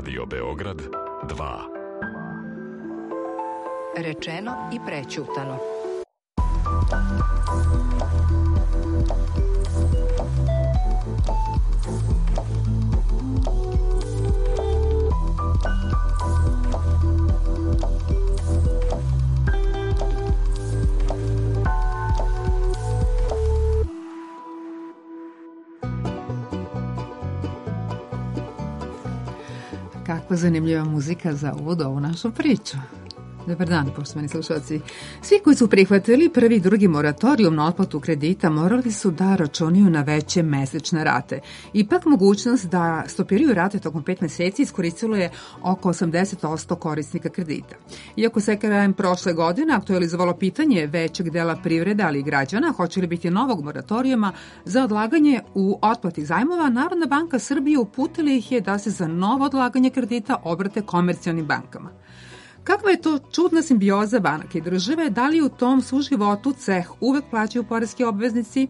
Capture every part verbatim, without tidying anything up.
Radio Beograd dva. Rečeno i prećutano. Kakva zanimljiva muzika za uvod ovu našu priču. Dobar dan, poštovani slušalci. Svi koji su prihvatili prvi i drugi moratorijum na otplatu kredita morali su da računaju na veće mesečne rate. Ipak mogućnost da stopiraju rate tokom pet meseci iskoristilo je oko osamdeset posto korisnika kredita. Iako se krajem prošle godine aktualizovalo pitanje većeg dela privrede, ali i građana, hoće li biti novog moratorijuma za odlaganje u otplati zajmova, Narodna banka Srbije uputila ih je da se za novo odlaganje kredita obrate komercijalnim bankama. Kakva je to čudna simbioza banaka i države? Da li u tom suživotu ceh uvek plaćaju poreski obveznici?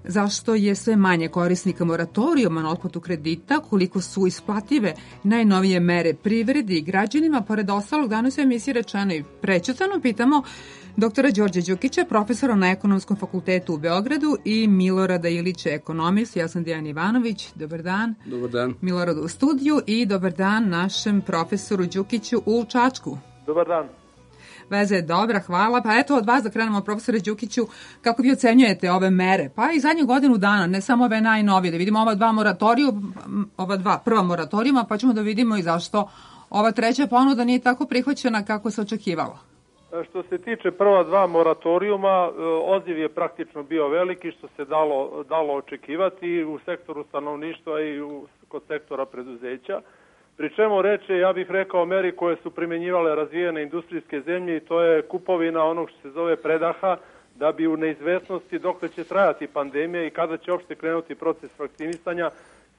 Zašto je sve manje korisnika moratorijuma na otplatu kredita? Koliko su isplative najnovije mere privredi i građanima? Pored ostalog, danas u emisiji Rečeno i prećutano pitamo doktora Đorđa Đukića, profesora na Ekonomskom fakultetu u Beogradu, i Milorada Ilića, ekonomist. Ja sam Dijana Ivanović. Dobar dan. Dobar dan. Miloradu u studiju i dobar dan našem profesoru Đukiću u Čačku. Dobar dan. Veza je dobra, hvala. Pa eto od vas da krenemo, profesore Đukiću, kako vi ocenjujete ove mere? Pa i zadnju godinu dana, ne samo ove najnovije, da vidimo ova dva moratoriju, ova dva prva moratorijuma, pa ćemo da vidimo i zašto ova treća ponuda nije tako prihvaćena kako se očekivalo. Što se tiče prva dva moratorijuma, odziv je praktično bio veliki, što se dalo, dalo očekivati u sektoru stanovništva i u, kod sektora preduzeća. Pri čemu reče, ja bih rekao, meri koje su primjenjivale razvijene industrijske zemlje, i to je kupovina onog što se zove predaha, da bi u neizvesnosti dokle će trajati pandemija i kada će uopšte krenuti proces vakcinisanja,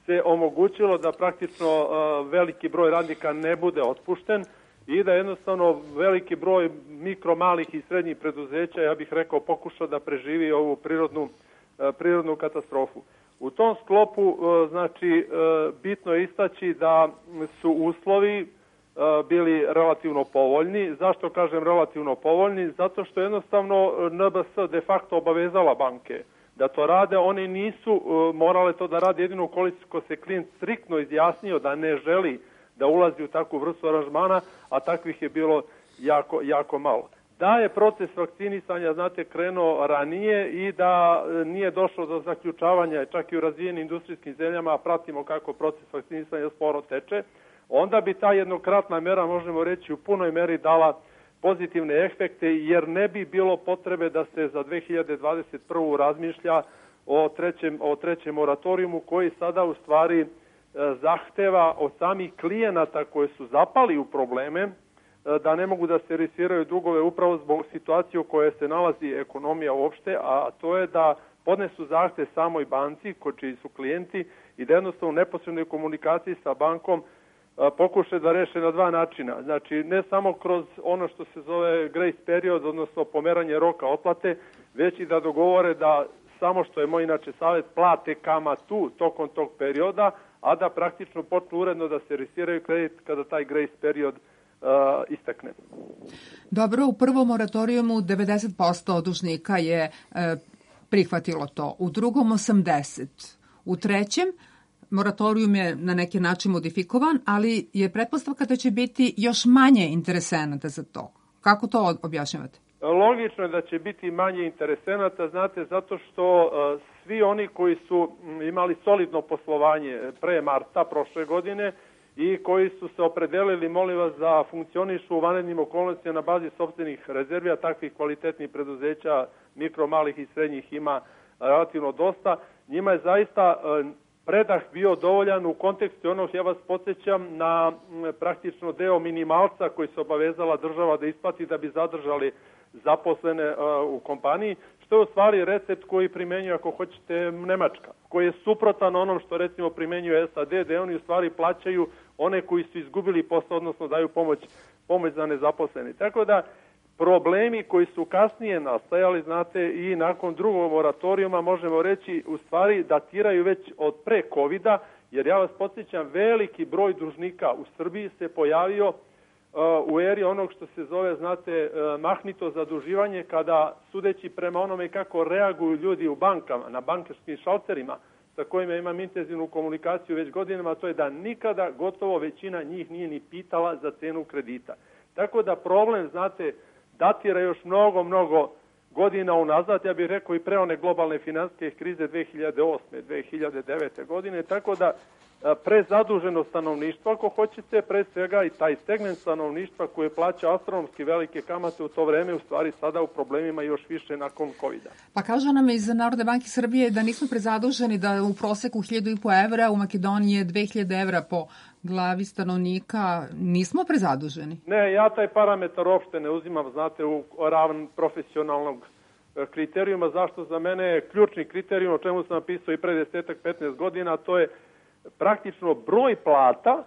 se omogućilo da praktično uh, veliki broj radnika ne bude otpušten i da jednostavno veliki broj mikro, malih i srednjih preduzeća, ja bih rekao, pokuša da preživi ovu prirodnu, uh, prirodnu katastrofu. U tom sklopu, znači, bitno je istaći da su uslovi bili relativno povoljni. Zašto kažem relativno povoljni? Zato što jednostavno N B S de facto obavezala banke da to rade. One nisu morale to da rade jedino ukoliko se klijent striktno izjasnio da ne želi da ulazi u takvu vrstu aranžmana, a takvih je bilo jako, jako malo. Da je proces vakcinisanja, znate, krenuo ranije i da nije došlo do zaključavanja, čak i u razvijenim industrijskim zemljama, a pratimo kako proces vakcinisanja sporo teče, onda bi ta jednokratna mera, možemo reći, u punoj meri dala pozitivne efekte, jer ne bi bilo potrebe da se za dve hiljade dvadeset prvu razmišlja o trećem, o trećem moratorijumu, koji sada u stvari zahteva od samih klijenata koji su zapali u probleme, da ne mogu da servisiraju dugove upravo zbog situacije u kojoj se nalazi ekonomija uopšte, a to je da podnesu zahtev samoj banci, čiji su klijenti, i da jednostavno u neposrednoj komunikaciji sa bankom pokušaju da reše na dva načina. Znači, ne samo kroz ono što se zove grace period, odnosno pomeranje roka otplate, već i da dogovore da samo, što je moj inače savjet, plate kamatu tokom tog perioda, a da praktično počnu uredno da servisiraju kredit kada taj grace period Uh, istakne. Dobro, u prvom moratorijumu devedeset posto dužnika je e, prihvatilo to, u drugom osamdeset posto. U trećem moratorijum je na neki način modifikovan, ali je pretpostavka da će biti još manje interesenata za to. Kako to objašnjavate? Logično je da će biti manje interesenata, znate, zato što uh, svi oni koji su imali solidno poslovanje pre marta prošle godine i koji su se opredelili, molim vas, da funkcionišu u vanrednim okolnostima na bazi sopstvenih rezervi, a takvih kvalitetnih preduzeća, mikro, malih i srednjih, ima relativno dosta. Njima je zaista predah bio dovoljan u kontekstu onog, ja vas podsjećam, na praktično deo minimalca koji se obavezala država da isplati da bi zadržali zaposlene u kompaniji, što je u stvari recept koji primenjuje, ako hoćete, Nemačka, koji je suprotan onom što recimo primenjuje S A D, da oni u stvari plaćaju one koji su izgubili posao, odnosno daju pomoć, pomoć za nezaposlene. Tako da problemi koji su kasnije nastajali, znate, i nakon drugog moratorijuma, možemo reći, u stvari datiraju već od pre kovida, Jer ja vas podsjećam, veliki broj dužnika u Srbiji se pojavio u eri onog što se zove, znate, mahnito zaduživanje, kada, sudeći prema onome kako reaguju ljudi u bankama, na bankarskim šalterima, sa kojima imam intenzivnu komunikaciju već godinama, to je da nikada gotovo većina njih nije ni pitala za cenu kredita. Tako da problem, znate, datira još mnogo, mnogo godina unazad, ja bih rekao i pre one globalne finansijske krize dve hiljade osme. dve hiljade devete. godine, tako da prezaduženo stanovništvo, ako hoćete, pre svega i taj segment stanovništva koje plaća astronomski velike kamate u to vreme, u stvari sada u problemima još više nakon kovida. Pa kažu nam iz Narodne banke Srbije da nismo prezaduženi, da u proseku hiljadu i po evra, u Makedoniji je dve hiljade evra po glavi stanovnika. Nismo prezaduženi? Ne, ja taj parametar uopšte ne uzimam, znate, u ravan profesionalnog kriterijuma. Zašto? Za mene je ključni kriterijum, o čemu sam napisao i pre desetak petnaest godina, to je praktično broj plata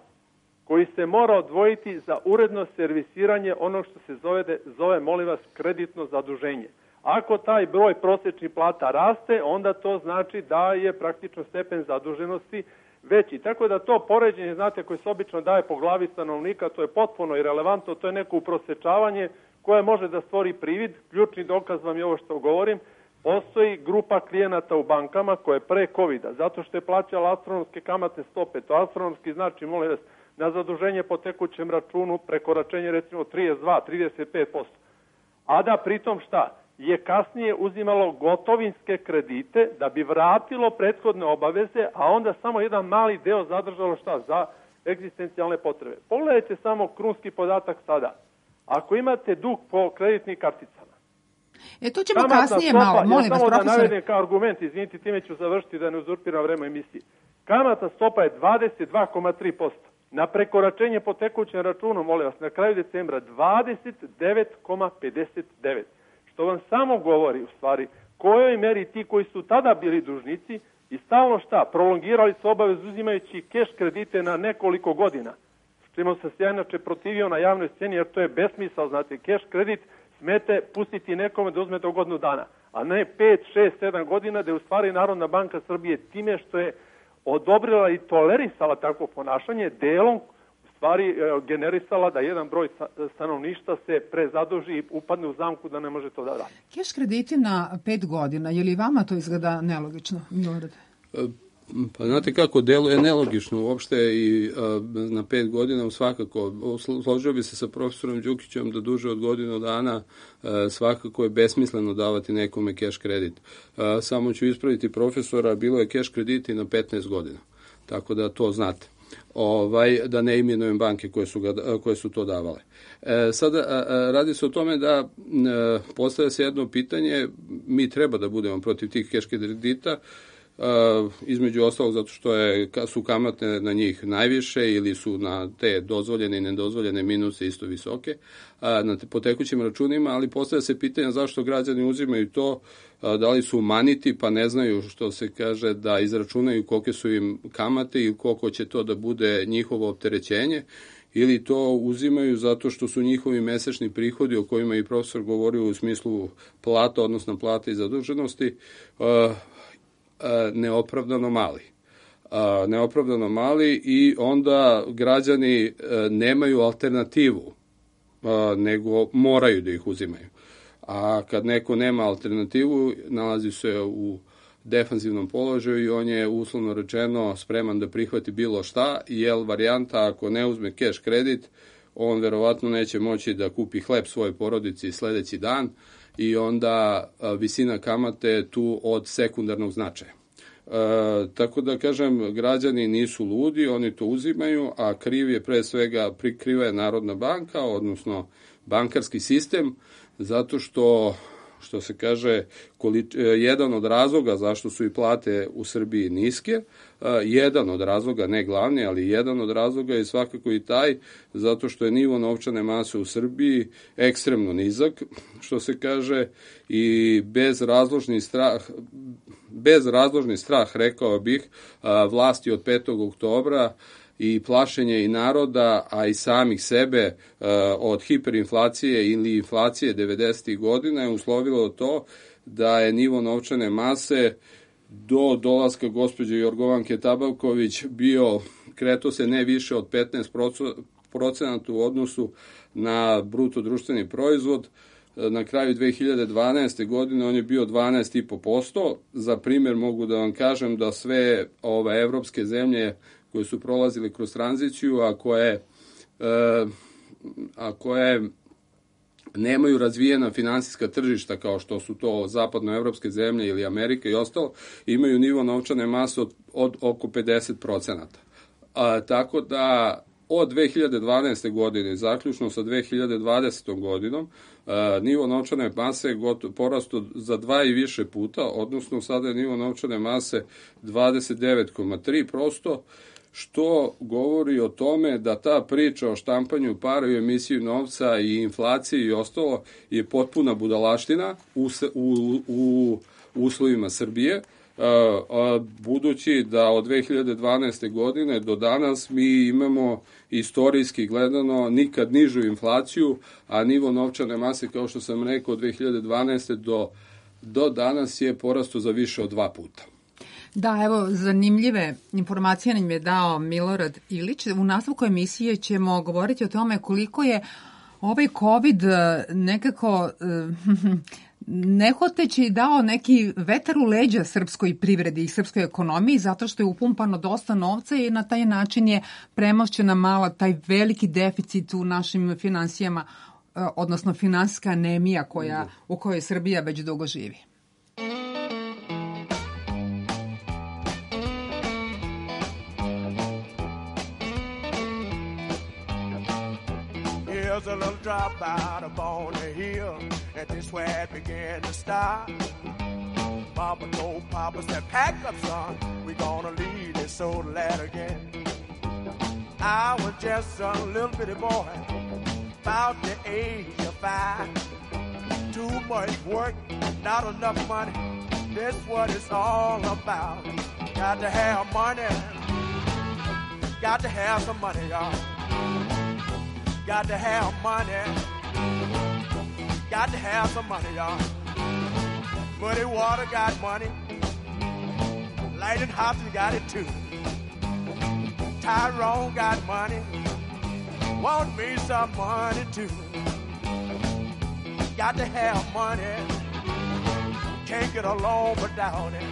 koji se mora odvojiti za uredno servisiranje onog što se zove, zove molim vas, kreditno zaduženje. Ako taj broj prosječnih plata raste, onda to znači da je praktično stepen zaduženosti veći. Tako da to poređenje, znate, koje se obično daje po glavi stanovnika, to je potpuno irelevantno, to je neko uprosečavanje koje može da stvori privid. Ključni dokaz vam je ovo što govorim. Postoji grupa klijenata u bankama koje je pre kovida, zato što je plaćala astronomske kamatne stope. To astronomski znači, molim vas, na zaduženje po tekućem računu prekoračenje recimo trideset dva do trideset pet posto. A da pritom šta? Je kasnije uzimalo gotovinske kredite da bi vratilo prethodne obaveze, a onda samo jedan mali deo zadržalo šta? Za egzistencijalne potrebe. Pogledajte samo krunski podatak sada. Ako imate dug po kreditnim karticama, E, to ćemo kasnije stopa, malo, molim vas, profesor. Samo da navedem kao argument, izvinite, time ću završiti da ne uzurpiram vreme emisije. Kamatna stopa je dvadeset dva zarez tri posto. Na prekoračenje po tekućem računu, molim vas, na kraju decembra dvadeset devet zarez pedeset devet. Što vam samo govori, u stvari, kojoj meri ti koji su tada bili dužnici i stalno šta, prolongirali su obavezu uzimajući keš kredite na nekoliko godina. S čemu sam se inače protivio na javnoj sceni, jer to je besmisao, znate, keš kredit smete pustiti nekome da uzme do godinu dana, a ne pet, šest, sedam godina, da je u stvari Narodna banka Srbije time što je odobrila i tolerisala takvo ponašanje, delom u stvari generisala da jedan broj stanovništva se prezaduži i upadne u zamku da ne može to da radi. Keš krediti na pet godina, je li vama to izgleda nelogično? Milorade? Pa znate kako, deluje nelogično uopšte i a, na pet godina svakako. Složio bi se sa profesorom Đukićem da duže od godinu dana a, svakako je besmisleno davati nekome keš kredit. A, samo ću ispraviti profesora, bilo je keš krediti na petnaest godina. Tako da to znate. Ovaj, da ne imenujem banke koje su, ga, koje su to davale. E, sada a, a, radi se o tome da a, postavlja se jedno pitanje, mi treba da budemo protiv tih keš kredita, Uh, između ostalog zato što je, su kamate na njih najviše ili su na te dozvoljene i nedozvoljene minuse isto visoke uh, na te, po tekućim računima, ali postavlja se pitanje zašto građani uzimaju to, uh, da li su maniti pa ne znaju, što se kaže, da izračunaju kolike su im kamate i koliko će to da bude njihovo opterećenje, ili to uzimaju zato što su njihovi mesečni prihodi, o kojima i profesor govorio u smislu plata, odnosno plata i zaduženosti, uh, neopravdano mali. Neopravdano mali i onda građani nemaju alternativu, nego moraju da ih uzimaju. A kad neko nema alternativu, nalazi se u defanzivnom položaju i on je uslovno rečeno spreman da prihvati bilo šta, jer varijanta ako ne uzme keš kredit, on verovatno neće moći da kupi hleb svojoj porodici sledeći dan, i onda a, visina kamate je tu od sekundarnog značaja. E, tako da kažem, građani nisu ludi, oni to uzimaju, a kriv je pre svega, prikriva je Narodna banka, odnosno bankarski sistem, zato što, što se kaže, količ, jedan od razloga zašto su i plate u Srbiji niske, jedan od razloga, ne glavni, ali jedan od razloga je svakako i taj, zato što je nivo novčane mase u Srbiji ekstremno nizak, što se kaže, i bez razložni strah, bez razložni strah, rekao bih, vlasti od petog oktobra i plašenje i naroda, a i samih sebe od hiperinflacije ili inflacije devedesetih godina je uslovilo to da je nivo novčane mase do dolaska gospođe Jorgovanke Tabaković bio, kreto se ne više od petnaest procenata u odnosu na bruto društveni proizvod. Na kraju dve hiljade dvanaeste. godine on je bio dvanaest zarez pet posto. Za primjer mogu da vam kažem da sve ove evropske zemlje koje su prolazile kroz tranziciju, a koje, a koje nemaju razvijena finansijska tržišta kao što su to zapadnoevropske zemlje ili Amerika i ostalo, imaju nivo novčane mase od, od oko pedeset procenata. A, tako da od dve hiljade dvanaeste. godine, zaključno sa dve hiljade dvadesetom. godinom, a, nivo novčane mase je porastao za dva i više puta, odnosno sada je nivo novčane mase dvadeset devet zarez tri posto, što govori o tome da ta priča o štampanju para i emisiju novca i inflaciji i ostalo je potpuna budalaština u, u, u uslovima Srbije, budući da od dve hiljade dvanaeste. godine do danas mi imamo istorijski gledano nikad nižu inflaciju, a nivo novčane mase, kao što sam rekao, od dve hiljade dvanaeste. do, do danas je porastao za više od dva puta. Da, evo, zanimljive informacije nam je dao Milorad Ilić. U nastavku emisije ćemo govoriti o tome koliko je ovaj COVID nekako nehoteći dao neki vetar u leđa srpskoj privredi i srpskoj ekonomiji, zato što je upumpano dosta novca i na taj način je premošćena mala taj veliki deficit u našim finansijama, odnosno finansijska anemija koja, u kojoj Srbija već dugo živi. Here's a little drop out up on the hill, and this where it began to start. Mama told Papa, said, pack up, son, we gonna leave this old lad again. I was just a little bitty boy, about the age of five. Too much work, not enough money, that's what it's all about. Got to have money, got to have some money, y'all. Got to have money, got to have some money, y'all. Muddy Water got money, Lightning Hopkins got it too. Tyrone got money, want me some money too. Got to have money, can't get along without it.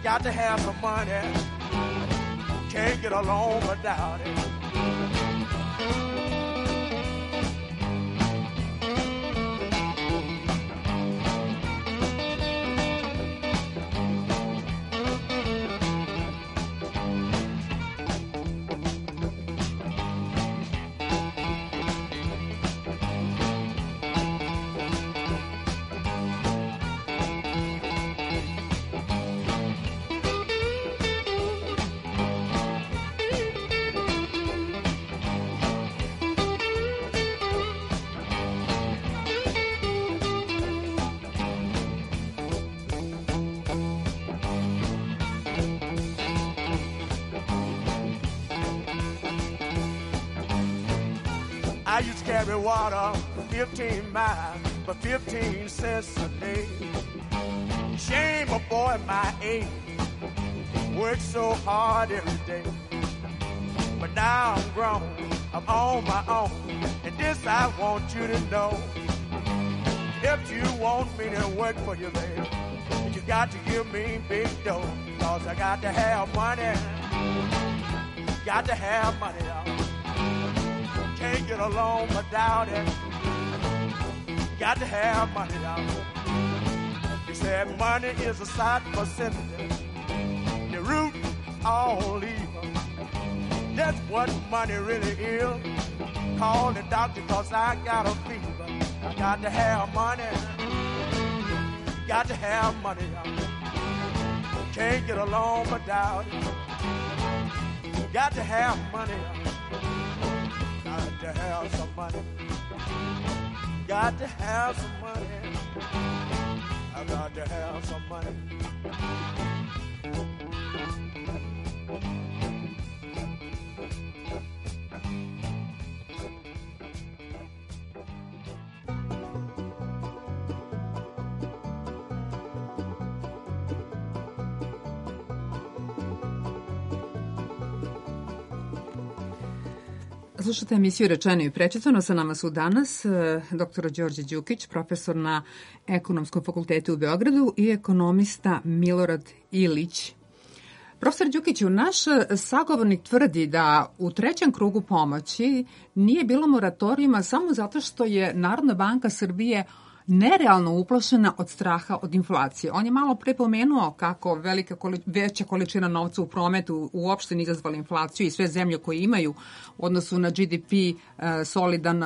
Got to have some money, can't get along without it. I used to carry water fifteen miles for fifteen cents a day. Shame a boy my age worked so hard every day. But now I'm grown, I'm on my own, and this I want you to know. If you want me to work for you, baby, you got to give me big dough, cause I got to have money, got to have money, y'all. Can't get along without it. Got to have money, y'all. He said money is a sight for sinners. The root all evil. That's what money really is. Call the doctor cause I got a fever. I got to have money. Got to have money, y'all. Can't get along without it. Got to have money, y'all. Got to have some money. Got to have some money. I got to have some money. Slušate emisiju Rečeno i prečitano. Sa nama su danas dr Đorđe Đukić, profesor na Ekonomskom fakultetu u Beogradu i ekonomista Milorad Ilić. Profesor Đukiću, naš sagovornik tvrdi da u trećem krugu pomoći nije bilo moratorijuma samo zato što je Narodna banka Srbije nerealno uplašena od straha od inflacije. On je malo pre pomenuo kako velika koli, veća količina novca u prometu uopšte nije izazvala inflaciju i sve zemlje koje imaju u odnosu na G D P e, solidan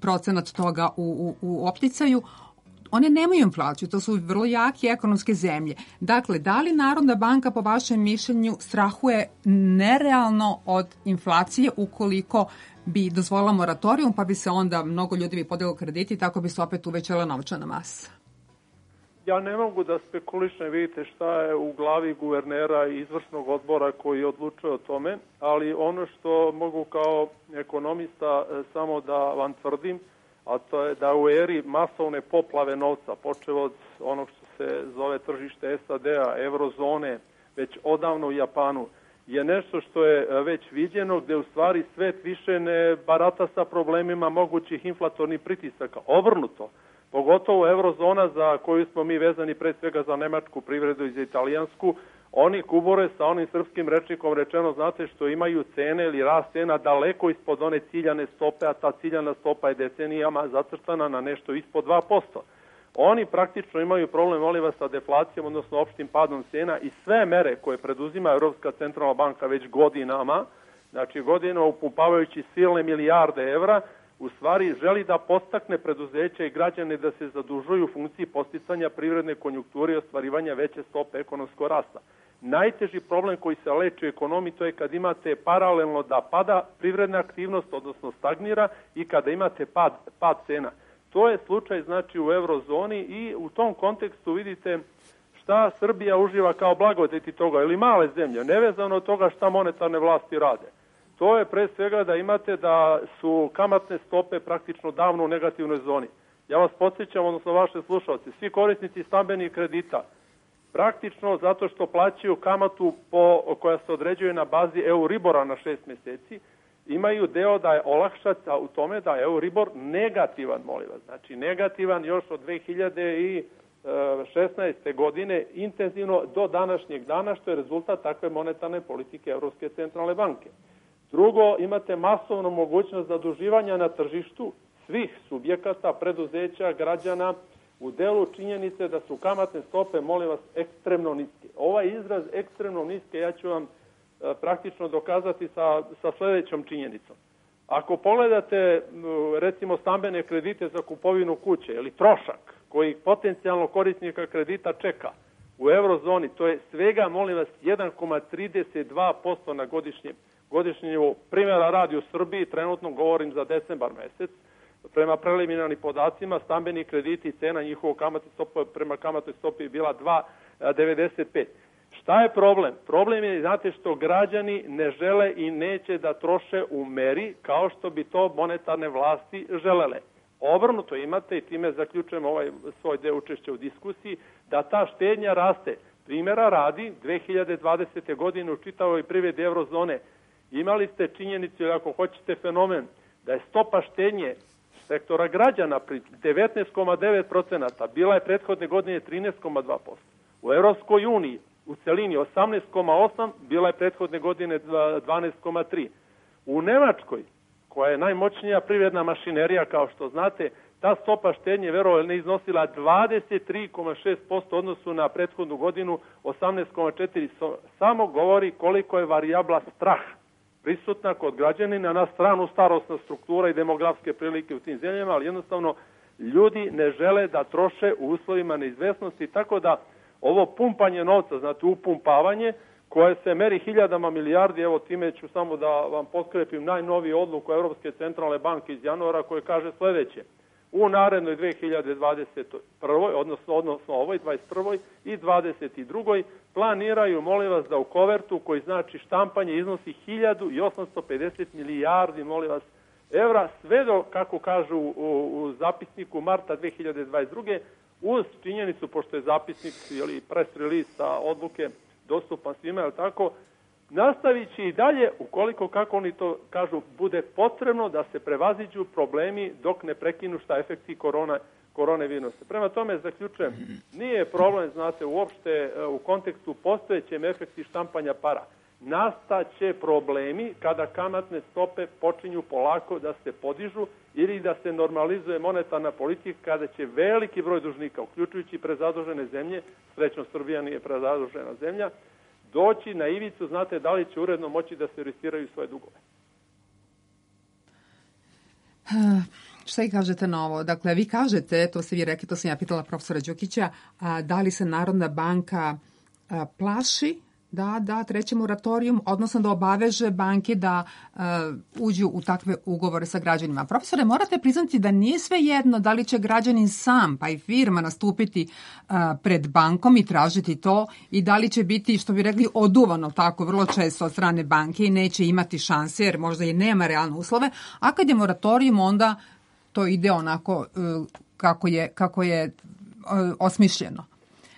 procenat toga u, u, u opticaju, one nemaju inflaciju, to su vrlo jake ekonomske zemlje. Dakle, da li Narodna banka po vašem mišljenju strahuje nerealno od inflacije ukoliko bi dozvolila moratorijum, pa bi se onda mnogo ljudi bi podiglo krediti i tako bi se opet uvećala novčana masa? Ja ne mogu da spekulišem, vidite šta je u glavi guvernera i izvršnog odbora koji odlučuje o tome, ali ono što mogu kao ekonomista samo da vam tvrdim, a to je da u eri masovne poplave novca, počeo od onog što se zove tržište S A D-a, eurozone, već odavno u Japanu, je nešto što je već viđeno, gde u stvari svet više ne barata sa problemima mogućih inflatornih pritisaka. Obrnuto, pogotovo eurozona za koju smo mi vezani pre svega za nemačku privredu i za italijansku, oni kubore sa onim srpskim rečnikom rečeno, znate, što imaju cene ili rast cena daleko ispod one ciljane stope, a ta ciljana stopa je decenijama zacrtana na nešto ispod dva posto. Oni praktično imaju problem, molim vas, sa deflacijom, odnosno opštim padom cena i sve mere koje preduzima Europska centralna banka već godinama, znači godinama upumpavajući silne milijarde evra, u stvari želi da podstakne preduzeća i građane da se zadužuju u funkciji posticanja privredne konjunkture i ostvarivanja veće stope ekonomskog rasta. Najteži problem koji se leči u ekonomiji to je kad imate paralelno da pada privredna aktivnost, odnosno stagnira, i kada imate pad, pad cena. To je slučaj znači u eurozoni i u tom kontekstu vidite šta Srbija uživa kao blagodeti toga, ili male zemlje, nevezano od toga šta monetarne vlasti rade. To je pre svega da imate da su kamatne stope praktično davno u negativnoj zoni. Ja vas podsjećam, odnosno vaše slušalci, svi korisnici stambenih kredita, praktično zato što plaćaju kamatu po, koja se određuje na bazi Euribora na šest meseci, imaju deo da je olakšaca u tome da je Euribor negativan, molim vas. Znači negativan još od dve hiljade šesnaeste. godine intenzivno do današnjeg dana, što je rezultat takve monetarne politike Evropske centralne banke. Drugo, imate masovnu mogućnost zaduživanja na tržištu svih subjekata, preduzeća, građana, u delu činjenice da su kamatne stope, molim vas, ekstremno niske. Ovaj izraz ekstremno niske ja ću vam e, praktično dokazati sa, sa sljedećom činjenicom. Ako pogledate, recimo, stambene kredite za kupovinu kuće ili trošak koji potencijalno korisnika kredita čeka u eurozoni, to je svega, molim vas, jedan zarez trideset dva posto na godišnjem godišnji nivou. Primjera radi u Srbiji, trenutno govorim za decembar mesec, prema preliminarnim podacima, stambeni krediti i cena njihovog kamatne stope prema kamatnoj stopi je bila dva zarez devedeset pet. Šta je problem? Problem je, znate, što građani ne žele i neće da troše u meri kao što bi to monetarne vlasti želele. Obrnuto imate, i time zaključujem ovaj svoj deo učešća u diskusiji, da ta štednja raste. Primjera radi, dve hiljade dvadesete. godine u čitavoj privredi eurozone imali ste činjenicu, ili ako hoćete fenomen, da je stopa štednje sektora građana pri devetnaest zarez devet posto, bila je prethodne godine trinaest zarez dva posto. U Evropskoj uniji u celini osamnaest zarez osam, bila je prethodne godine dvanaest zarez tri. U Nemačkoj, koja je najmoćnija privredna mašinerija, kao što znate, ta stopa štednje, verovali ne, iznosila dvadeset tri zarez šest posto odnosu na prethodnu godinu osamnaest zarez četiri. Samo govori koliko je varijabla strah prisutna kod građanina, na stranu starosna struktura i demografske prilike u tim zemljama, ali jednostavno ljudi ne žele da troše u uslovima neizvesnosti, tako da ovo pumpanje novca, znate, upumpavanje, koje se meri hiljadama milijardi, evo time ću samo da vam poskrepim najnoviju odluku Europske centralne banke iz januara, koje kaže sljedeće: u narednoj dve hiljade dvadeset prvoj. odnosno, odnosno ovoj dvadeset prvoj i dvadeset drugoj. planiraju, molim vas, da u kovertu, koji znači štampanje, iznosi hiljadu osamsto pedeset milijardi, molim vas, evra, sve do, kako kažu u, u zapisniku, marta dve hiljade dvadeset druge. uz činjenicu, pošto je zapisnik ili press release sa odluke dostupan svima, je tako, nastavit će i dalje, ukoliko, kako oni to kažu, bude potrebno da se prevaziđu problemi dok ne prekinu šta efekti korona, korone virusa. Prema tome, zaključujem, nije problem, znate, uopšte u kontekstu postojećem efekti štampanja para. Nastaće problemi kada kamatne stope počinju polako da se podižu ili da se normalizuje monetarna politika, kada će veliki broj dužnika, uključujući prezadužene zemlje, srećno Srbija nije prezadužena zemlja, doći na ivicu, znate, da li će uredno moći da servisiraju svoje dugove. Šta i kažete na ovo? Dakle, vi kažete, to ste vi rekli, to sam ja pitala profesora Đukića, a, da li se Narodna banka a, plaši da da treći moratorijum, odnosno da obaveže banke da uh, uđu u takve ugovore sa građanima. Profesore, morate priznati da nije sve jedno da li će građanin sam pa i firma nastupiti uh, pred bankom i tražiti to i da li će biti, što bi rekli, oduvano tako vrlo često od strane banke i neće imati šanse jer možda i nema realne uslove, a kad je moratorijum onda to ide onako uh, kako je, kako je uh, osmišljeno.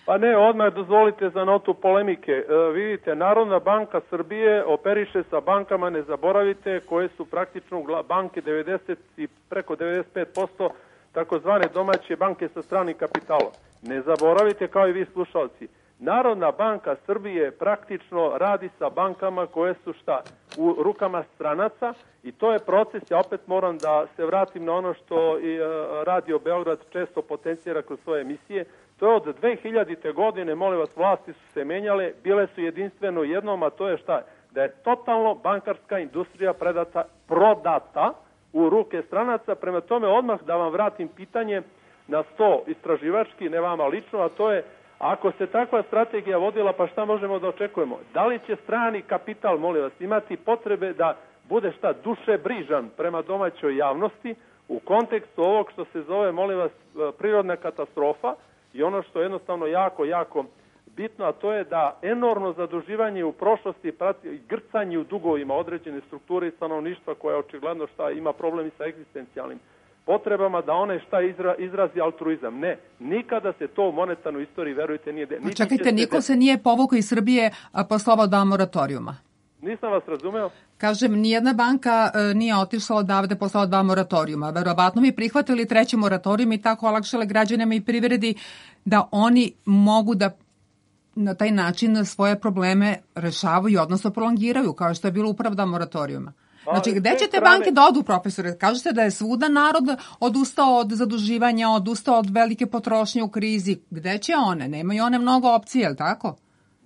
Pa ne, odmah dozvolite za notu polemike. E, vidite, Narodna banka Srbije operiše sa bankama, ne zaboravite, koje su praktično banke devedeset i preko devedeset pet posto takozvane domaće banke sa stranim kapitalom. Ne zaboravite, kao i vi slušalci, Narodna banka Srbije praktično radi sa bankama koje su šta? U rukama stranaca i to je proces, ja opet moram da se vratim na ono što i Radio Beograd često potencira kroz svoje emisije. To je od dve hiljadite godine, molim vas, vlasti su se menjale, bile su jedinstveno jednom, a to je šta? Da je totalno bankarska industrija predata, prodata u ruke stranaca. Prema tome, odmah da vam vratim pitanje na sto istraživački, ne vama lično, a to je, ako se takva strategija vodila, pa šta možemo da očekujemo? Da li će strani kapital, molim vas, imati potrebe da bude šta dušebrižan prema domaćoj javnosti u kontekstu ovog što se zove, molim vas, prirodna katastrofa i ono što je jednostavno jako, jako bitno, a to je da enormno zaduživanje u prošlosti prati grcanje u dugovima određene strukture i stanovništva koja očigledno šta ima problemi sa egzistencijalnim potrebama, da one šta izra, izrazi altruizam. Ne, nikada se to u monetarnoj istoriji, verujte, nije... De... Čekajte, se niko de... se nije povukao iz Srbije posle ova dva moratorijuma. Nisam vas razumeo. Kažem, nijedna banka e, nije otišla odavde posle ova dva moratorijuma. Verovatno bi prihvatili treći moratorijum i tako olakšale građanima i privredi da oni mogu da na taj način svoje probleme rešavaju, odnosno prolongiraju, kao što je bilo upravo dva moratorijuma. Znači, gde će te banke da odu, profesore? Kažete da je svuda narod odustao od zaduživanja, odustao od velike potrošnje u krizi. Gde će one? Nemaju one mnogo opcije, je li tako?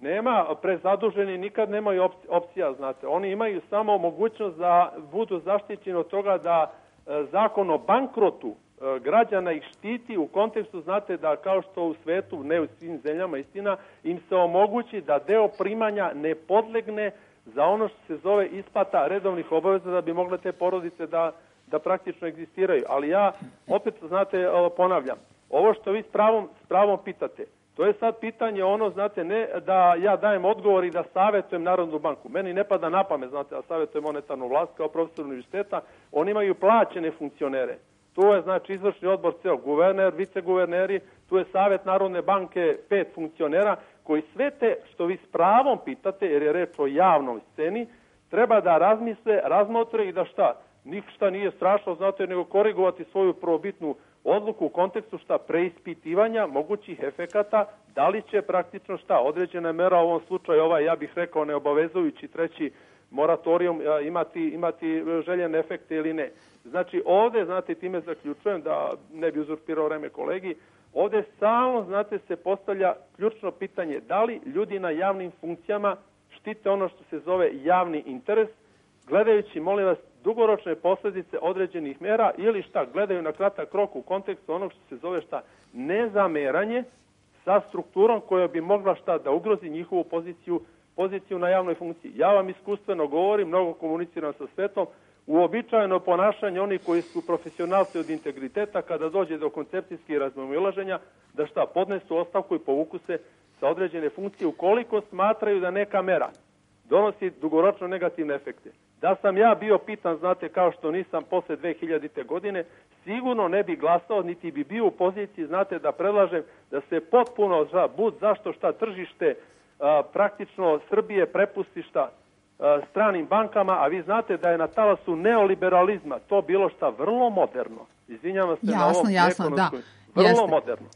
Nema, prezaduženi nikad nemaju opcija, znate. Oni imaju samo mogućnost da budu zaštićeni od toga da e, zakon o bankrotu e, građana ih štiti u kontekstu, znate, da kao što u svetu, ne u svim zemljama, istina, im se omogući da deo primanja ne podlegne za ono što se zove isplata redovnih obaveza da bi mogle te porodice da, da praktično egzistiraju. Ali ja, opet, znate, ponavljam, ovo što vi s pravom, s pravom pitate, to je sad pitanje ono, znate, ne da ja dajem odgovor i da savjetujem Narodnu banku. Meni ne pada na pamet, znate, da savjetujem monetarnu vlast kao profesor univerziteta. Oni imaju plaćene funkcionere. Tu je, znači, izvršni odbor ceo, guverner, viceguverneri, tu je savjet Narodne banke, pet funkcionera, koji sve te, što vi s pravom pitate, jer je reč o javnoj sceni, treba da razmisle, razmotre i da šta? Ništa nije strašno, znate, nego korigovati svoju prvobitnu odluku u kontekstu šta preispitivanja mogućih efekata, da li će praktično šta određena mera u ovom slučaju, ovaj, ja bih rekao, neobavezujući treći moratorijum imati, imati željene efekte ili ne. Znači ovde, znate, time zaključujem da ne bi uzurpirao vreme kolegi, ovde samo, znate, se postavlja ključno pitanje da li ljudi na javnim funkcijama štite ono što se zove javni interes, gledajući, molim vas, dugoročne posljedice određenih mera ili šta, gledaju na kratak rok u kontekstu onog što se zove šta, nezameranje sa strukturom koja bi mogla šta da ugrozi njihovu poziciju, poziciju na javnoj funkciji. Ja vam iskustveno govorim, mnogo komuniciram sa svetom, uobičajeno ponašanje onih koji su profesionalci od integriteta kada dođe do koncepcijskih razmimoilaženja, da šta, podnesu ostavku i povuku se sa određene funkcije ukoliko smatraju da neka mera donosi dugoročno negativne efekte. Da sam ja bio pitan, znate, kao što nisam posle dve hiljadite godine, sigurno ne bi glasao, niti bi bio u poziciji, znate, da predlažem da se potpuno, za, bud zašto šta tržište a, praktično Srbije prepusti šta stranim bankama, a vi znate da je na talasu neoliberalizma to bilo šta vrlo moderno. Izvinjavam se jasno, na ovom jasno, da. vrlo Jeste. moderno.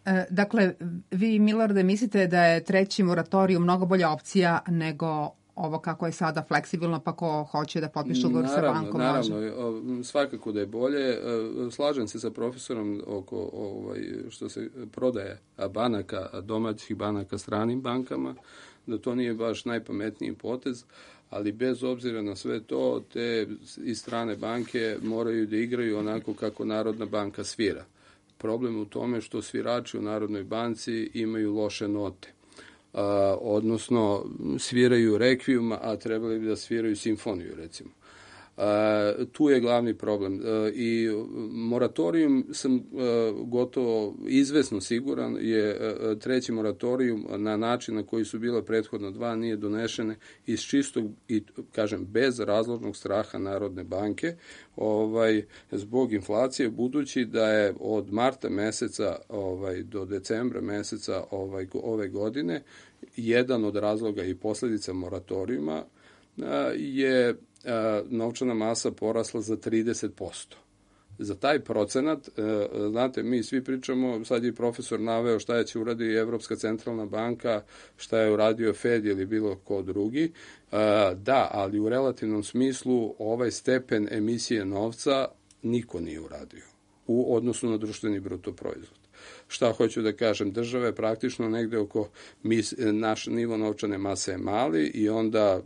E, dakle, vi, Milorade, mislite da je treći moratorij mnogo bolja opcija nego ovo kako je sada fleksibilno, pa ko hoće da potpiše ugovor sa bankom naravno, može? Naravno, svakako da je bolje. Slažem se sa profesorom oko ovaj, što se prodaje banaka, domaćih banaka stranim bankama, da to nije baš najpametniji potez, ali bez obzira na sve to, te i strane banke moraju da igraju onako kako Narodna banka svira. Problem u tome što svirači u Narodnoj banci imaju loše note. Uh, odnosno sviraju rekvijum, a trebali bi da sviraju simfoniju, recimo. Uh, tu je glavni problem. Uh, I moratorijum sam uh, gotovo izvesno siguran je uh, treći moratorijum na način na koji su bila prethodna dva nije donešene iz čistog i, kažem, bez razlognog straha Narodne banke, ovaj, zbog inflacije, budući da je od marta meseca ovaj, do decembra meseca ovaj, ove godine jedan od razloga i posljedica moratorijuma je novčana masa porasla za trideset posto. Za taj procenat, znate, mi svi pričamo, sad je profesor naveo šta je će uraditi Evropska centralna banka, šta je uradio Fed ili bilo ko drugi. Da, ali u relativnom smislu ovaj stepen emisije novca niko nije uradio u odnosu na društveni bruto proizvod. Šta hoću da kažem, država je praktično negde oko, mi, naš nivo novčane mase je mali i onda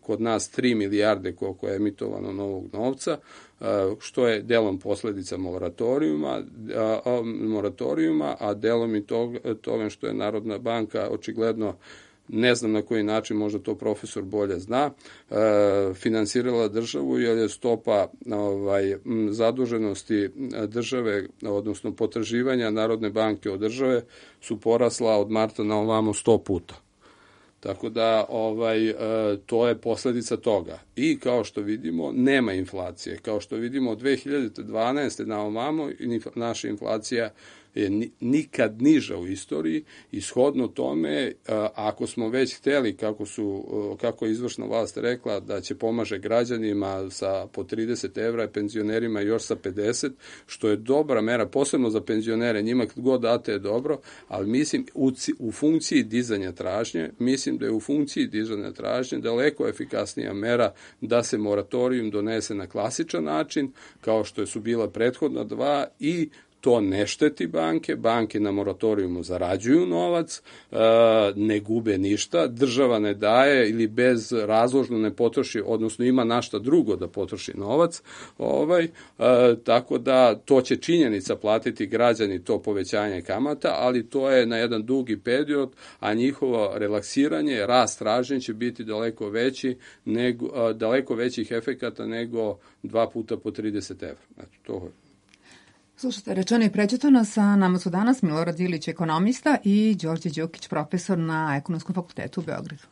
kod nas tri milijarde koliko je emitovano novog novca, što je delom posledica moratorijuma, a, moratorijuma, a delom i tog, toga što je Narodna banka očigledno, ne znam na koji način, možda to profesor bolje zna, e, finansirala državu jer je stopa ovaj, zaduženosti države, odnosno potraživanja Narodne banke od države su porasla od marta na ovamo sto puta. Tako da ovaj, e, to je posljedica toga. I kao što vidimo, nema inflacije. Kao što vidimo, od dve hiljade dvanaeste na ovamo naša inflacija je nikad niža u istoriji i shodno tome, ako smo već hteli, kako, su, kako je izvršna vlast rekla, da će pomaže građanima sa po trideset evra, penzionerima još sa pedeset, što je dobra mera, posebno za penzionere, njima kad god date je dobro, ali mislim u, u funkciji dizanja tražnje, mislim da je u funkciji dizanja tražnje daleko efikasnija mera da se moratorijum donese na klasičan način, kao što su bila prethodna dva, i to ne šteti banke, banke na moratorijumu zarađuju novac, ne gube ništa, država ne daje ili bez razložno ne potroši, odnosno ima našta drugo da potroši novac, ovaj, tako da to će činjenica platiti građani, to povećanje kamata, ali to je na jedan dugi period, a njihovo relaksiranje, rast tražnje će biti daleko veći, nego, daleko većih efekata nego dva puta po trideset evra. Znači, to je. Slušajte, rečeno i prećutano, sa nama su danas Milorad Ilić, ekonomista, i Đorđe Đukić, profesor na Ekonomskom fakultetu u Beogradu.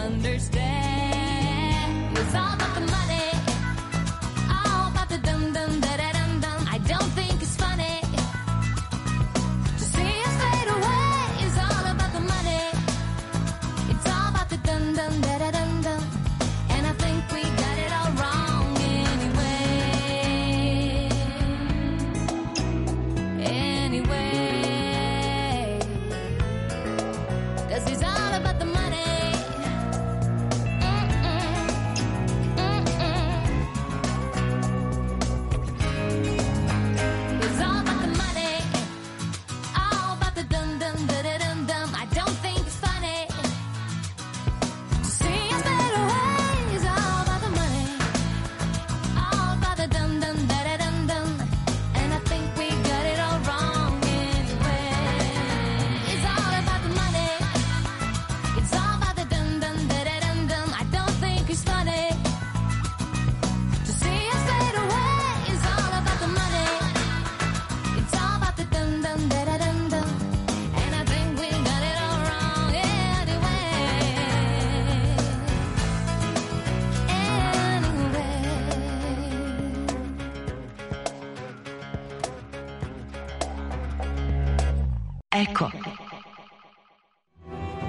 Understand, it's all about the money,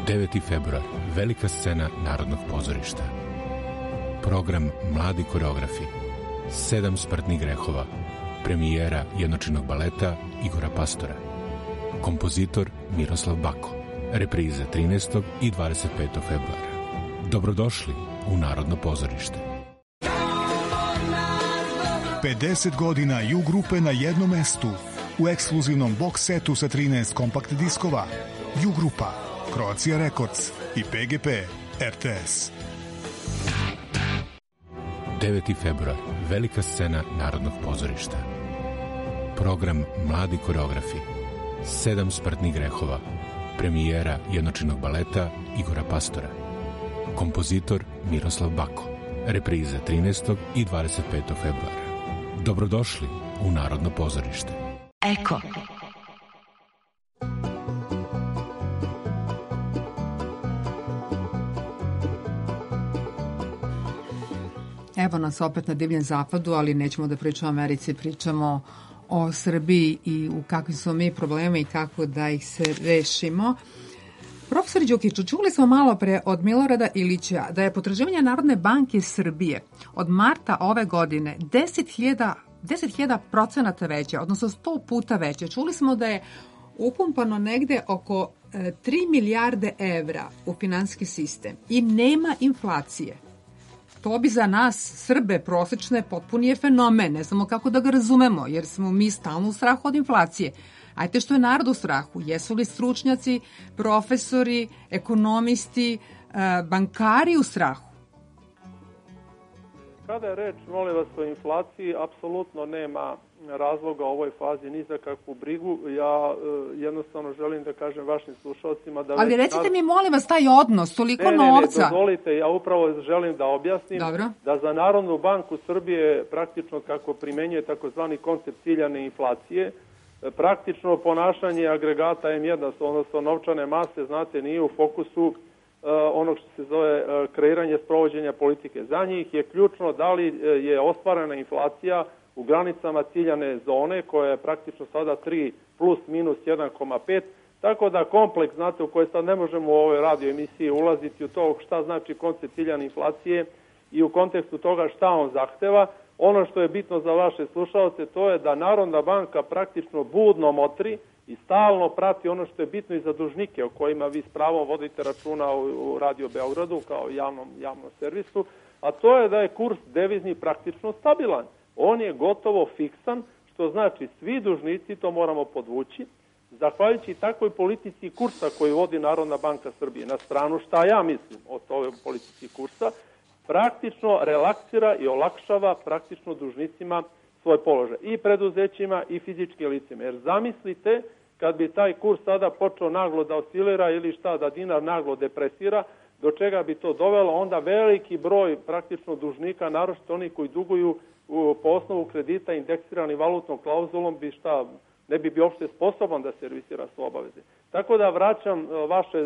deveti februar, velika scena Narodnog pozorišta. Program Mladi koreografi, sedam smrtnih grehova, premijera jednočinog baleta Igora Pastora, kompozitor Miroslav Bako, reprize trinaestog i dvadeset petog februara. Dobrodošli u Narodno pozorište. pedeset godina Ju grupe na jednom mestu u ekskluzivnom box setu sa trinaest kompakt diskova. Ju grupa, Croatia Records i P G P R T S. deveti februar, velika scena Narodnog pozorišta. Program Mladi koreografi, sedam smrtnih grehova, premijera jednočinog baleta Igora Pastora, kompozitor Miroslav Bako, reprize trinaestog i dvadeset petog februara. Dobrodošli u Narodno pozorište. Eko. Evo nas opet na divljem zapadu, ali nećemo da pričamo o Americi, pričamo o Srbiji i u kakvim smo mi problemi i kako da ih se rešimo. Profesor Đukiću, čuli smo malo pre od Milorada Ilića da je potraživanje Narodne banke Srbije od marta ove godine deset hiljada procenata veće, odnosno sto puta veće. Čuli smo da je upumpano negde oko tri milijarde evra u finansijski sistem i nema inflacije. To bi za nas, Srbe prosečne, potpuni je fenomen. Ne znamo kako da ga razumemo, jer smo mi stalno u strahu od inflacije. Ajte, što je narod u strahu? Jesu li stručnjaci, profesori, ekonomisti, bankari u strahu? Kada je reč, molim vas, o inflaciji, apsolutno nema razloga u ovoj fazi ni za kakvu brigu. Ja e, jednostavno želim da kažem vašim slušalcima da... Ali recite narod... mi, molim vas, taj odnos, toliko ne, novca... Ne, ne, dozvolite, ja upravo želim da objasnim Dobro. Da za Narodnu banku Srbije praktično kako primenjuje takozvani koncept ciljane inflacije, praktično ponašanje agregata em jedan, odnosno novčane mase, znate, nije u fokusu Uh, onog što se zove uh, kreiranje sprovođenja politike. Za njih je ključno da li uh, je ostvarena inflacija u granicama ciljane zone, koja je praktično sada tri plus minus jedan zarez pet, tako da kompleks, znate, u koji sad ne možemo u ovoj radio emisiji ulaziti u to šta znači koncept ciljane inflacije i u kontekstu toga šta on zahteva. Ono što je bitno za vaše slušalce, to je da Narodna banka praktično budno motri i stalno prati ono što je bitno i za dužnike o kojima vi s pravom vodite računa u Radio Beogradu kao javnom, javnom servisu, a to je da je kurs devizni praktično stabilan. On je gotovo fiksan, što znači svi dužnici, to moramo podvući, zahvaljujući takvoj politici kursa koju vodi Narodna banka Srbije, na stranu šta ja mislim o toj politici kursa, praktično relaksira i olakšava praktično dužnicima svoj položaj. I preduzećima i fizičkim licima. Jer zamislite kad bi taj kurs sada počeo naglo da oscilira ili šta, da dinar naglo depresira, do čega bi to dovelo, onda veliki broj praktično dužnika, naročito oni koji duguju u, po osnovu kredita indeksirani valutnom klauzulom, bi šta, ne bi bio uopšte sposoban da servisira svoje obaveze. Tako da vraćam vaše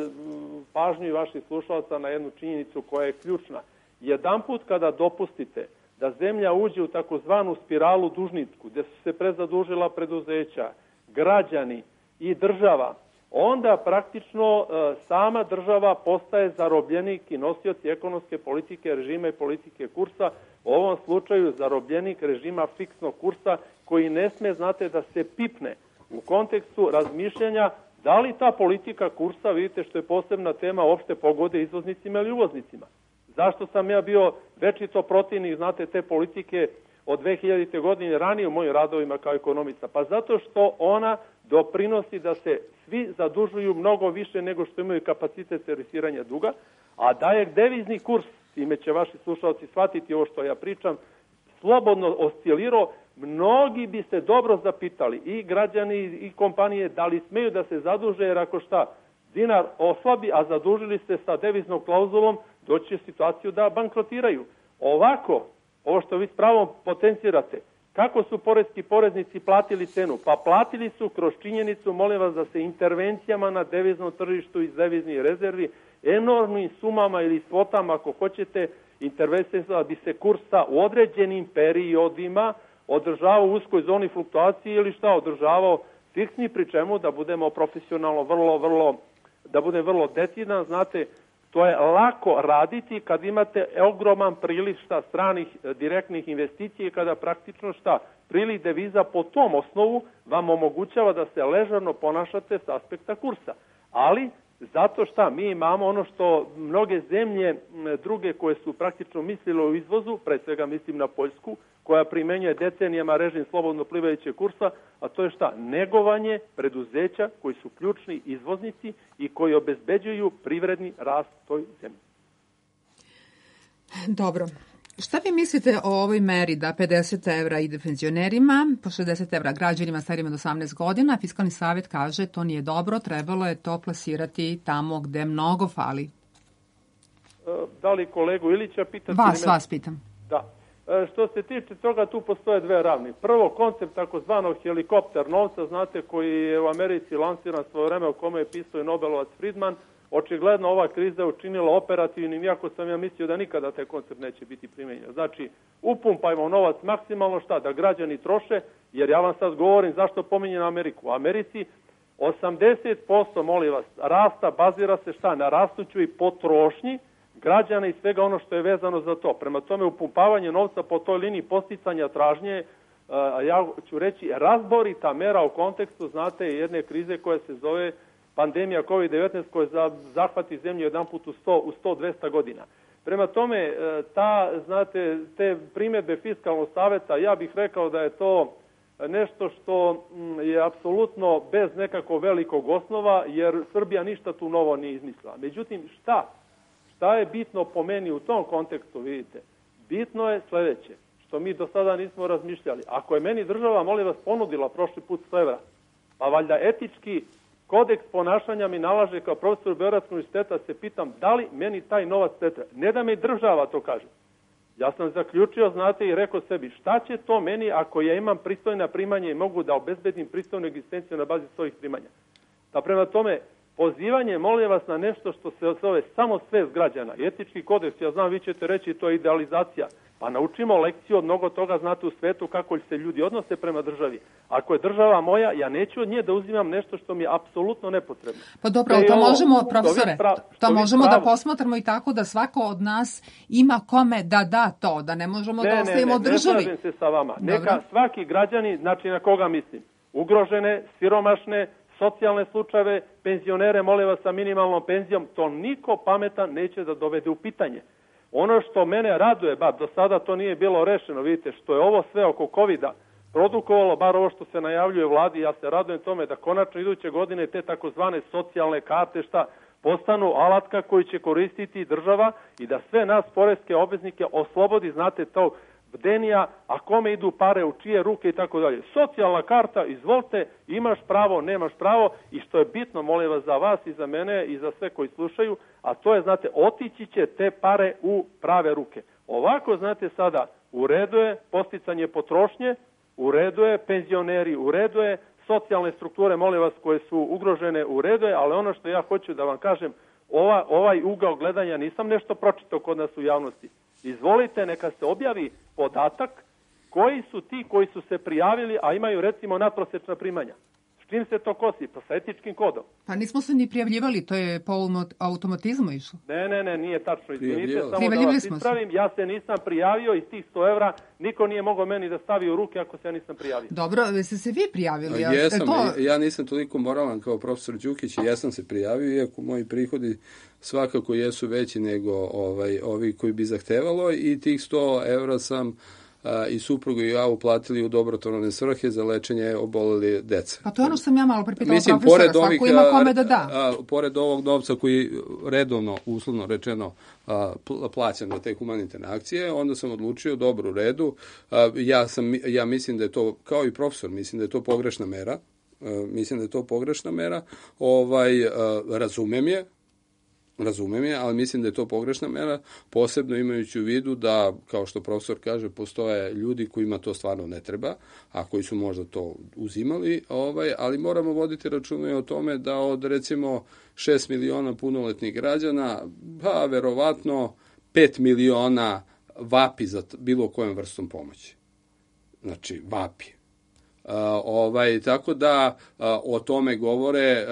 pažnju i vaših slušalaca na jednu činjenicu koja je ključna. Jedanput kada dopustite da zemlja uđe u takozvanu spiralu dužnicku, gde su se prezadužila preduzeća, građani i država, onda praktično e, sama država postaje zarobljenik i nosioci ekonomske politike, režima i politike kursa, u ovom slučaju zarobljenik režima fiksnog kursa koji ne sme, znate, da se pipne u kontekstu razmišljanja da li ta politika kursa, vidite što je posebna tema, uopšte pogode izvoznicima ili uvoznicima. Zašto sam ja bio večito protivnik, znate, te politike od dve hiljadite godine ranije u mojim radovima kao ekonomista? Pa zato što ona doprinosi da se svi zadužuju mnogo više nego što imaju kapacitet servisiranja duga, a da je devizni kurs, time će vaši slušalci shvatiti ovo što ja pričam, slobodno oscilirao, mnogi bi se dobro zapitali, i građani i kompanije, da li smeju da se zaduže, jer ako šta, dinar oslabi, a zadužili se sa deviznom klauzulom, doći će situaciju da bankrotiraju. Ovako, ovo što vi s pravom potencirate, kako su poreski poreznici platili cenu? Pa platili su kroz činjenicu, molim vas, da se intervencijama na deviznom tržištu iz deviznih rezervi enormnim sumama ili svotama, ako hoćete, intervencija da bi se kursa u određenim periodima održavao u uskoj zoni fluktuacije ili šta, održavao fiksni, pri čemu da budemo profesionalno vrlo, vrlo da budem vrlo decidan, znate, to je lako raditi kad imate ogroman priliv šta stranih direktnih investicija i kada praktično šta priliv deviza po tom osnovu vam omogućava da se ležerno ponašate s aspekta kursa. Ali zato šta mi imamo ono što mnoge zemlje druge koje su praktično mislile o izvozu, pre svega mislim na Poljsku, koja primenjuje decenijama režim slobodno plivajućeg kursa, a to je šta? Negovanje preduzeća koji su ključni izvoznici i koji obezbeđuju privredni rast toj zemlji. Dobro. Šta vi mislite o ovoj meri da pedeset evra ide penzionerima, po šezdeset evra građanima starijima od osamnaest godina? Fiskalni savjet kaže to nije dobro, trebalo je to plasirati tamo gde mnogo fali. Da li kolegu Ilića pitati? Vas, vas pitam. Da. Što se tiče toga, tu postoje dve ravni. Prvo, koncept takozvanog helikopter novca, znate, koji je u Americi lansiran svoje vreme, u kome je pisao i Nobelovac Friedman. Očigledno ova kriza je učinila operativnim, iako sam ja mislio da nikada taj koncept neće biti primenjen. Znači, upumpajmo novac maksimalno, šta, da građani troše, jer ja vam sad govorim zašto pominjem Ameriku. U Americi osamdeset posto, molim vas, rasta bazira se šta, na rastućoj potrošnji građana i svega ono što je vezano za to. Prema tome, upumpavanje novca po toj liniji posticanja tražnje, a ja ću reći, razborita mera u kontekstu, znate, jedne krize koja se zove pandemija kovid devetnaest, koja zahvati zemlju jedan put u sto, u sto do dvesta godina. Prema tome, ta, znate, te primjedbe Fiskalnog savjeta, ja bih rekao da je to nešto što je apsolutno bez nekakvog velikog osnova, jer Srbija ništa tu novo nije izmislila. Međutim, šta? Šta je bitno po meni u tom kontekstu, vidite? Bitno je sljedeće, što mi do sada nismo razmišljali. Ako je meni država, molim vas, ponudila prošli put sto evra, pa valjda etički kodeks ponašanja mi nalaže kao profesor Beogradskog univerziteta, se pitam da li meni taj novac ne treba. Ne da mi država to kaže. Ja sam zaključio, znate, i rekao sebi, šta će to meni ako ja imam pristojna primanja i mogu da obezbedim pristojnu egzistenciju na bazi svojih primanja. Da prema tome, pozivanje, molim vas, na nešto što se zove samo svest građana. Etički kodeks, ja znam, vi ćete reći, to je idealizacija. Pa naučimo lekciju od mnogo toga, znate, u svetu kako se ljudi odnose prema državi. Ako je država moja, ja neću od nje da uzimam nešto što mi je apsolutno nepotrebno. Pa dobro, to ovo, možemo, profesore, prav, to možemo prav... da posmatramo i tako da svako od nas ima kome da da to, da ne možemo ne, da ostavimo ne, ne, državi. Ne, ne, slažem se sa vama. Dobro. Neka svaki građani, znači na koga mislim, ugrožene, siromašne, socijalne slučajeve, penzionere, molim vas, sa minimalnom penzijom, to niko pametan neće da dovede u pitanje. Ono što mene raduje, bar do sada to nije bilo rešeno, vidite, što je ovo sve oko kovida produkovalo, bar ovo što se najavljuje vladi, ja se radujem tome da konačno iduće godine te takozvane socijalne karte šta postanu alatka koju će koristiti država i da sve nas poreske obveznike oslobodi, znate, to bdenija, a kome idu pare, u čije ruke i tako dalje. Socijalna karta, izvolite, imaš pravo, nemaš pravo i što je bitno, molim vas, za vas i za mene i za sve koji slušaju, a to je, znate, otići će te pare u prave ruke. Ovako, znate, sada u redu je posticanje potrošnje, u redu je penzioneri, u redu je socijalne strukture, molim vas, koje su ugrožene, u redu je, ali ono što ja hoću da vam kažem, ova, ovaj ugao gledanja nisam nešto pročitao kod nas u javnosti. Izvolite, neka se objavi podatak koji su ti koji su se prijavili, a imaju recimo nadprosečna primanja. S čim se to kosi? Pa sa etičkim kodom. Pa nismo se ni prijavljivali, to je po automatizmu išlo. Ne, ne, ne, nije tačno. Izvinite, samo da vas ispravim, ja se nisam prijavio i tih sto evra niko nije mogao meni da stavi u ruke ako se ja nisam prijavio. Dobro, ste se vi prijavili? Ja, jesam, to... ja nisam toliko moralan kao profesor Đukić i jesam se prijavio, iako moji prihodi svakako jesu veći nego ovaj, ovi koji bi zahtevalo i tih sto evra sam a, i suprugu i ja uplatili u dobrotvorne svrhe za lečenje oboleli deca. Pa to je ono što sam ja malo pripitala profesora, svako ovih, ima kome da da. A, a, pored ovog novca koji redovno, uslovno rečeno, a, plaćam na te humanitarne akcije, onda sam odlučio, dobro, u redu, a, ja, sam, ja mislim da je to, kao i profesor, mislim da je to pogrešna mera, a, mislim da je to pogrešna mera, ovaj, a, razumem je, Razumem je, ali mislim da je to pogrešna mera, posebno imajući u vidu da, kao što profesor kaže, postoje ljudi kojima to stvarno ne treba, a koji su možda to uzimali, ovaj, ali moramo voditi računa o tome da od, recimo, šest miliona punoletnih građana, pa, verovatno, pet miliona vapi za bilo kojom vrstom pomoći. Znači, vapi. Uh, ovaj, tako da uh, o tome govore,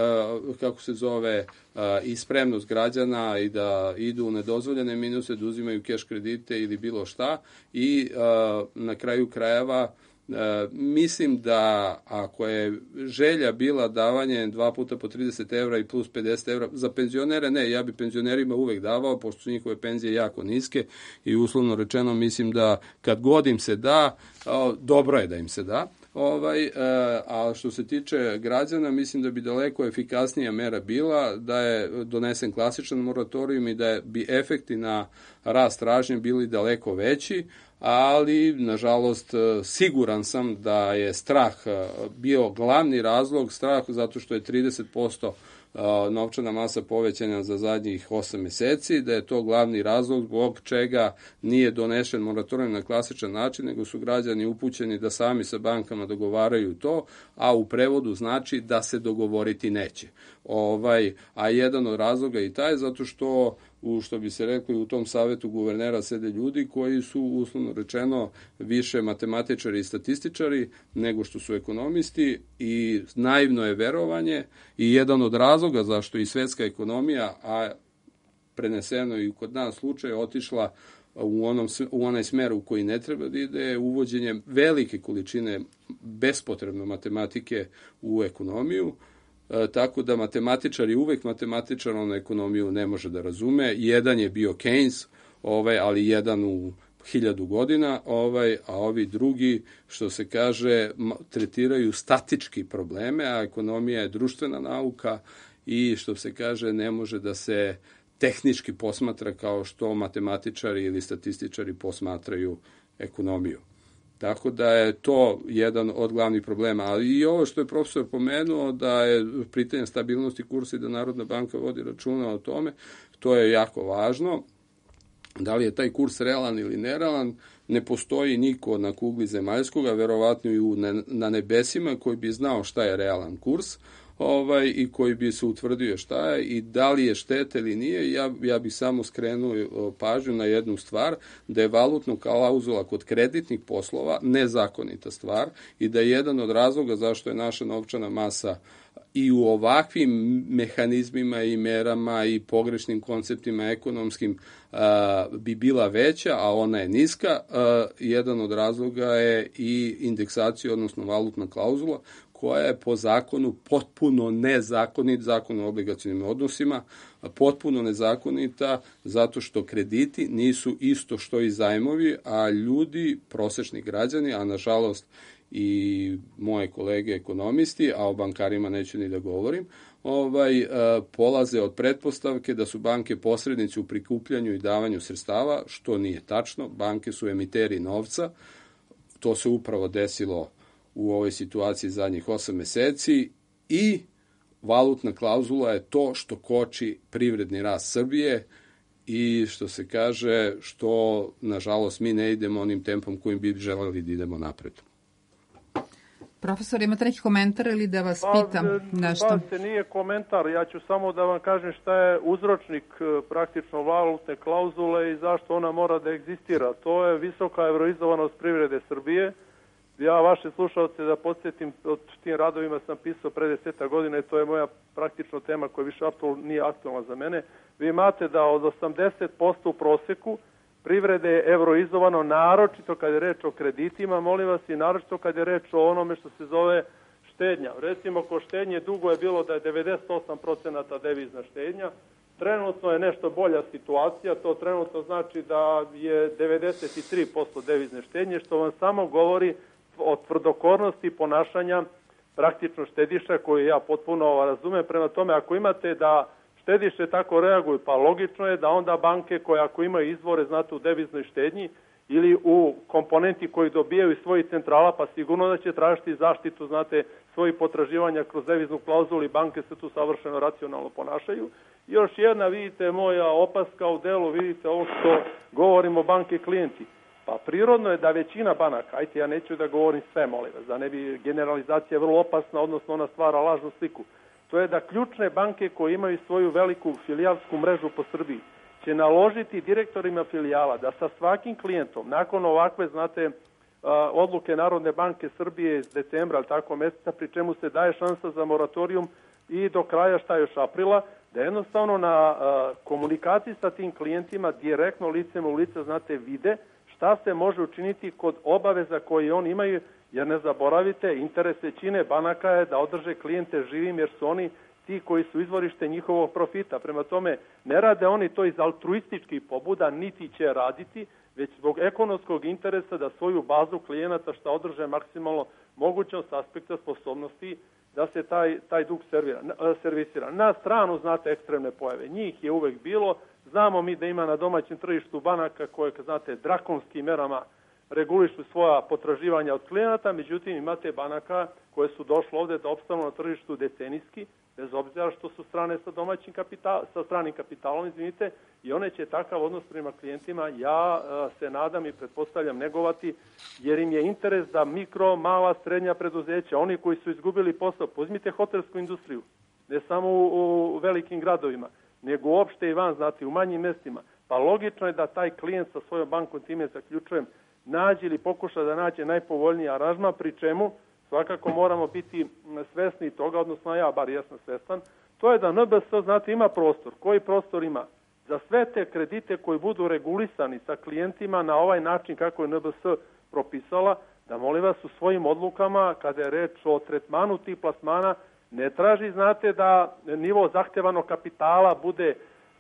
uh, kako se zove, uh, i spremnost građana i da idu u nedozvoljene minuse, da uzimaju keš kredite ili bilo šta i uh, na kraju krajeva uh, mislim da ako je želja bila davanje dva puta po trideset evra i plus pedeset evra, za penzionere ne, ja bi penzionerima uvek davao, pošto su njihove penzije jako niske i uslovno rečeno mislim da kad god im se da, uh, dobro je da im se da. Ovaj, e, a što se tiče građana, mislim da bi daleko efikasnija mera bila da je donesen klasičan moratorijum i da je, bi efekti na rast tražnje bili daleko veći, ali nažalost siguran sam da je strah bio glavni razlog, strah zato što je trideset posto novčana masa povećana za zadnjih osam meseci, da je to glavni razlog zbog čega nije donešen moratorijum na klasičan način, nego su građani upućeni da sami sa bankama dogovaraju to, a u prevodu znači da se dogovoriti neće. Ovaj, a jedan od razloga i taj zato što u što bi se rekli u tom savetu guvernera sede ljudi koji su uslovno rečeno više matematičari i statističari nego što su ekonomisti i naivno je verovanje i jedan od razloga zašto i svetska ekonomija, a preneseno i kod nas slučaj, otišla u, onom, u onaj smer u koji ne treba da ide, uvođenjem velike količine bespotrebno matematike u ekonomiju. E, tako da matematičar je uvek matematičar, on ekonomiju ne može da razume. Jedan je bio Keynes, ovaj, ali jedan u hiljadu godina, ovaj, a ovi drugi, što se kaže, tretiraju statički probleme, a ekonomija je društvena nauka i, što se kaže, ne može da se tehnički posmatra kao što matematičari ili statističari posmatraju ekonomiju. Tako da je to jedan od glavnih problema. Ali i ovo što je profesor pomenuo, da je pitanje stabilnosti kursa i da Narodna banka vodi računa o tome, to je jako važno. Da li je taj kurs realan ili nerealan, ne postoji niko na kugli zemaljskoga, verovatno i u, na nebesima, koji bi znao šta je realan kurs, ovaj, i koji bi se utvrdio šta je i da li je šteta ili nije. Ja, ja bih samo skrenuo pažnju na jednu stvar, da je valutna klauzula kod kreditnih poslova nezakonita stvar i da je jedan od razloga zašto je naša novčana masa i u ovakvim mehanizmima i merama i pogrešnim konceptima ekonomskim a, bi bila veća, a ona je niska. A, jedan od razloga je i indeksacija, odnosno valutna klauzula, koja je po zakonu potpuno nezakonit, zakon o obligacionim odnosima, potpuno nezakonita zato što krediti nisu isto što i zajmovi, a ljudi, prosečni građani, a nažalost i moje kolege ekonomisti, a o bankarima neću ni da govorim, ovaj, polaze od pretpostavke da su banke posrednici u prikupljanju i davanju sredstava, što nije tačno. Banke su emiteri novca, to se upravo desilo u ovoj situaciji zadnjih osam meseci i valutna klauzula je to što koči privredni rast Srbije i što se kaže, što nažalost mi ne idemo onim tempom kojim bi želeli da idemo napred. Profesor, imate neki komentar ili da vas pa, pitam nešto? Pa se nije komentar, ja ću samo da vam kažem šta je uzročnik praktično valutne klauzule i zašto ona mora da egzistira. To je visoka evroizovanost privrede Srbije. Ja vaše slušalce da podsjetim, od tim radovima sam pisao pre deseta godina i to je moja praktično tema koja više aktualna, nije aktualna za mene. Vi imate da od osamdeset posto u proseku privrede je evroizovano, naročito kad je reč o kreditima, molim vas, i naročito kad je reč o onome što se zove štednja. Recimo, ko štednje dugo je bilo da je devedeset osam procenata devizna štednja, trenutno je nešto bolja situacija, to trenutno znači da je devedeset tri posto devizne štednje, što vam samo govori o tvrdokornosti ponašanja praktično štediša koju ja potpuno razumem. Prema tome, ako imate da štediše tako reaguju, pa logično je da onda banke koje ako imaju izvore, znate, u deviznoj štednji ili u komponenti koji dobijaju iz svojih centrala, pa sigurno da će tražiti zaštitu, znate, svojih potraživanja kroz deviznu klauzulu i banke se tu savršeno racionalno ponašaju. Još jedna, vidite, moja opaska u delu, vidite ovo što govorimo banke klijenti. Pa prirodno je da većina banaka, ajte ja neću da govorim sve, molim vas, da ne bi generalizacija vrlo opasna, odnosno ona stvara lažnu sliku. To je da ključne banke koje imaju svoju veliku filijalsku mrežu po Srbiji će naložiti direktorima filijala da sa svakim klijentom, nakon ovakve, znate, odluke Narodne banke Srbije iz decembra, ali tako meseca, pri čemu se daje šansa za moratorijum i do kraja šta još aprila, da jednostavno na komunikaciji sa tim klijentima direktno licem u lice, znate, vide šta se može učiniti kod obaveza koje oni imaju, jer ne zaboravite, interes većine banaka je da održe klijente živim, jer su oni ti koji su izvorište njihovog profita. Prema tome, ne rade oni to iz altruističkih pobuda, niti će raditi, već zbog ekonomskog interesa da svoju bazu klijenata šta održe maksimalno mogućom s aspekta sposobnosti da se taj, taj dug servira, servisira. Na stranu, znate, ekstremne pojave. Njih je uvek bilo. Znamo mi da ima na domaćem tržištu banaka koje, znate, drakonskim merama regulišu svoja potraživanja od klijenata, međutim imate banaka koje su došle ovde da opstanu na tržištu decenijski, bez obzira što su strane sa domaćim kapital, sa stranim kapitalom, izvinite, i one će takav odnos prema klijentima, ja se nadam i pretpostavljam, negovati, jer im je interes da mikro, mala, srednja preduzeća, oni koji su izgubili posao, uzmite hotelsku industriju, ne samo u, u velikim gradovima, nego uopšte i van, znate, u manjim mestima, pa logično je da taj klijent sa svojom bankom, time zaključujem, nađe ili pokuša da nađe najpovoljniji aranžman, pri čemu svakako moramo biti svesni toga, odnosno ja, bar jesam svestan, to je da N B S, znate, ima prostor. Koji prostor ima? Za sve te kredite koji budu regulisani sa klijentima na ovaj način kako je N B S propisala, da molim vas u svojim odlukama, kada je reč o tretmanu tih plasmana, ne traži, znate, da nivo zahtevanog kapitala bude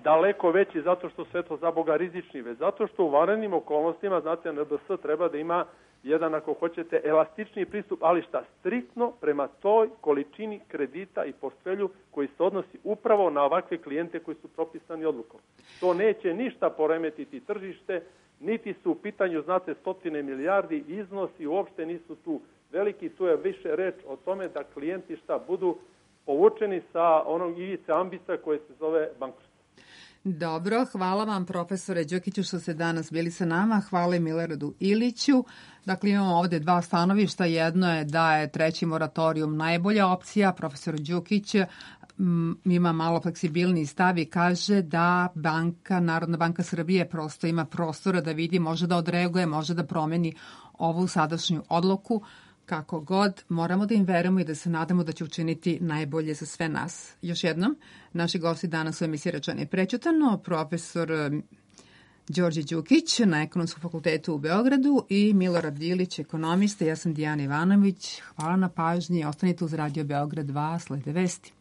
daleko veći zato što sve to za Boga rizični, već zato što u vanrednim okolnostima, znate, N B S treba da ima jedan, ako hoćete, elastični pristup, ali šta, striktno prema toj količini kredita i portfelju koji se odnosi upravo na ovakve klijente koji su propisani odlukom. To neće ništa poremetiti tržište, niti su u pitanju, znate, stotine milijardi, iznosi uopšte nisu tu veliki, tu je više reč o tome da klijenti šta budu povučeni sa onog ivice ambisa koje se zove bankrot. Dobro, hvala vam profesore Đukiću što ste danas bili sa nama, hvala i Miloradu Iliću. Dakle, imamo ovde dva stanovišta, jedno je da je treći moratorijum najbolja opcija, profesor Đukić ima malo fleksibilniji stav i kaže da banka, Narodna banka Srbije prosto ima prostora da vidi, može da odreaguje, može da promeni ovu sadašnju odluku. Kako god, moramo da im verujemo i da se nadamo da će učiniti najbolje za sve nas. Još jednom, naši gosti danas u emisiji Rečeno i prećutano, profesor Đorđe Đukić na Ekonomskom fakultetu u Beogradu i Milorad Ilić, ekonomista. Ja sam Dijana Ivanović. Hvala na pažnji. Ostanite uz Radio Beograd dva, slede vesti.